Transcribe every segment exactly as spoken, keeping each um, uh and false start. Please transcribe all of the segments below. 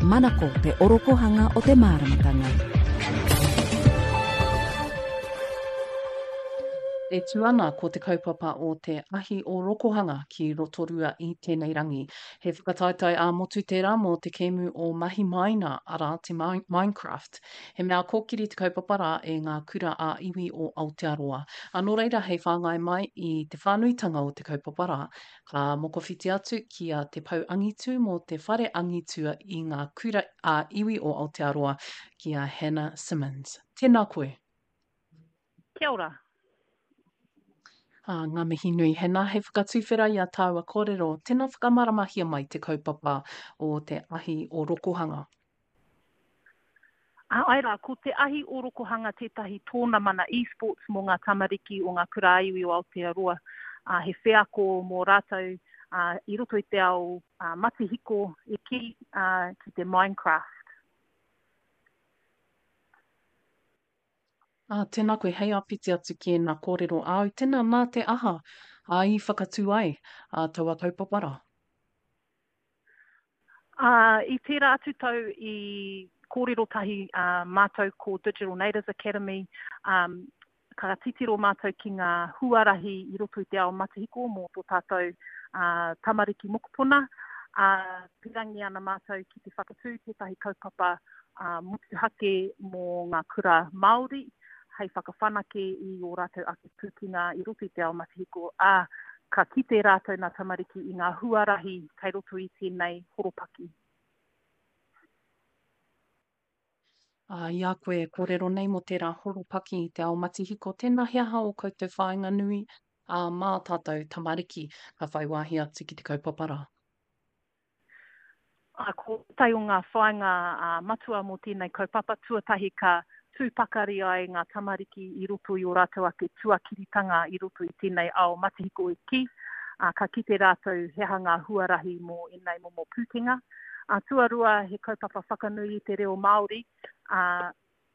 Manako te orokohanga o te māramatanga. E tū ana ko te kaupapa o te Ahi o Rokohanga ki Rotorua i tēnei rangi. He whakataetae ā-motu tērā mō te kēmu o Mahi Maina, arā te Minecraft. He mea kōkiri te kaupapa rā e ngā kura ā-iwi o Aotearoa. Ā, nō reira hei whāngai mai i te whānuitanga o te kaupapa rā, Ka mokowhiti atu ki a Te Pou Angitu mō te Whare Angitu i ngā Kura ā-Iwi o Aotearoa, ki a Hannah Simmons. Tēnā koe. Kia ora. Ā, ngā mihi nui Hannah, hei whakatuwhera i a tāua kōrero, tēnā whakamāramahia mai te kaupapa o te ahi o Rokohanga. Āe rā, ko Te Ahi Ōrokohanga tētahi tōnamana esports mō ngā tamariki o ngā kura ā-iwi o Aotearoa. He wheako mō rātou i roto i te ao matihiko e kī ki te Minecraft. Ā, tēnā koe, hei āpiti atu ki ēnā kōrero āu, tēnā nā te aha ā i whakatū ai ā taua kaupapa rā? Ā, i tērā atu tau i kōrero tahi mātou ko Digital Natives Academy, ā, ka titiro mātou ki ngā huarahi i roto i te ao matihiko mō tō tātou tamariki mokopuna, ā, pīrangi ana mātou ki te whakatū tētahi kaupapa motuhake mō ngā kura Māori hei whakawhanake i ō rātou ake pūkenga i roto i te ao matihiko, ā, ka kite rātou nā tamariki i ngā huarahi kei roto i tēnei horopaki. Ā, i a koe e kōrero nei mō tērā horopaki i te ao matihiko, tēnā he aha ō koutou whāinga nui, ā, mā tātou tamariki ka whai wāhi atu ki te kaupapa rā? Ā, ko tētahi o ngā whāinga matua mō tēnei kaupapa, tuatahi ka tū pakari ai ngā tamariki i roto i ō rātou ake tuakiritanga i roto i tēnei ao matihiko e kī, ā, ka kite rātou he aha ngā huarahi mō ēnei momo pūkenga. Ā, tuarua, he kaupapa whakanui i te reo Māori, ā,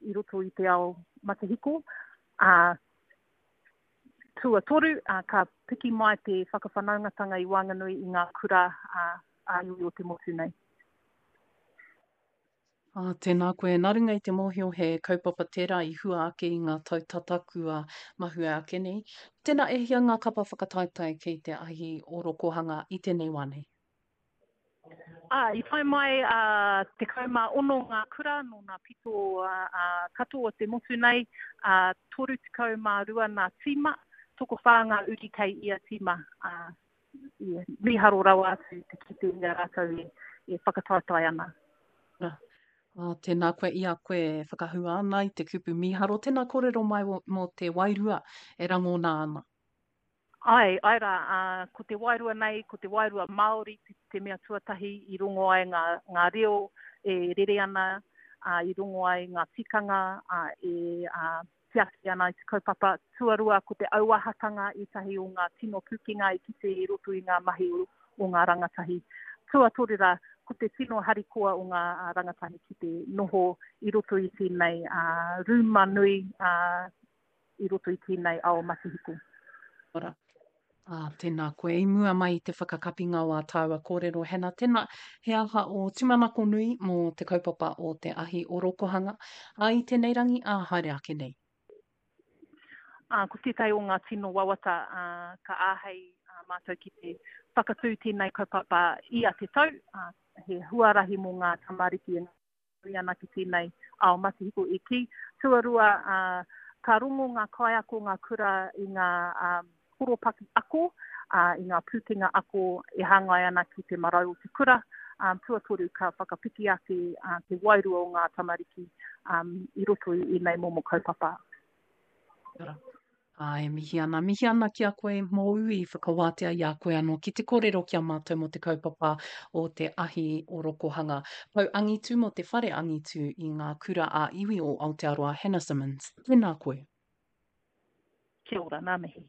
i roto i te ao matihiko, ā, tuatoru, ā, ka piki mai te whakawhanaungatanga i waenganui i ngā kura, ā, ā-iwi o te motu nei. Ā, tēnā koe. Nā runga i te mōhio he kaupapa tērā i hua ake i ngā tau tata kua mahue ake nei. Tēnā, e hia ngā kapa whakataetae kei te ahi orokohanga i tēnei wā nei? Ā, i tae mai a tekau mā ono ngā kura nō ngā pito katoa o te motu nei, ā, toru tekau mā rua ngā tīma, tokowhā ngā uri kei ia tīma, ā, i mīharo rawa atu te kite i a rātou e, e whakataetae ana. Ā, tēnā koe i a koe e whakahua ana i te kupu mīharo, tēnā kōrero mai mō te wairua e rangona ana. Āe, āe rā, ā, ko te wairua nei, ko te wairua Māori te, te mea tuatahi i rongo ai ngā, ngā reo e rere ana, ā, i rongo ai ngā tikanga, ā, e, ā, tiaki ana i te kaupapa. Tuarua, ko te auahatanga ētahi o ngā tino pūkenga i kite i roto i ngā mahi o ngā rangatahi. Tuatoru rā, ko te tino harikoa o ngā rangatahi ki te noho i roto i tēnei rūma nui i roto i tēnei ao matihiko. Ora. Ā, tēnā koe. I mua mai i te whakakapinga o ā tāua kōrero, Hannah, tēnā, he aha ō tūmanako nui mō te kaupapa o te ahi orokohanga, ā, i tēnei rangi, ā, haere ake nei? Ā, ko tētahi o ngā tino wawata, ā, ka āhei mātou ki te whakatū tēnei kaupapa ia te tau, ā, he huarahi mō ngā tamariki e nui ana ki tēnei ao matihiko e kī. Tuarua, ka rongo ngā kaiako, ngā kura i ngā horopaki ako, i ngā pūkenga ako e hāngai ana ki te marau o te kura. Tuatoru, ka whakapiki ake te wairua o ngā tamariki i roto i ēnei momo kaupapa. Kia ora. Ā, e mihi ana, mihi ana ki a koe mōu i whakawātea i a koe anō ki te kōrero ki a mātou mō te kaupapa o te ahi orokohanga. Pou angitu mō te whare angitu i ngā kura ā-iwi o Aotearoa Hannah Simmons. Tēnā koe. Kia ora, ngā mihi.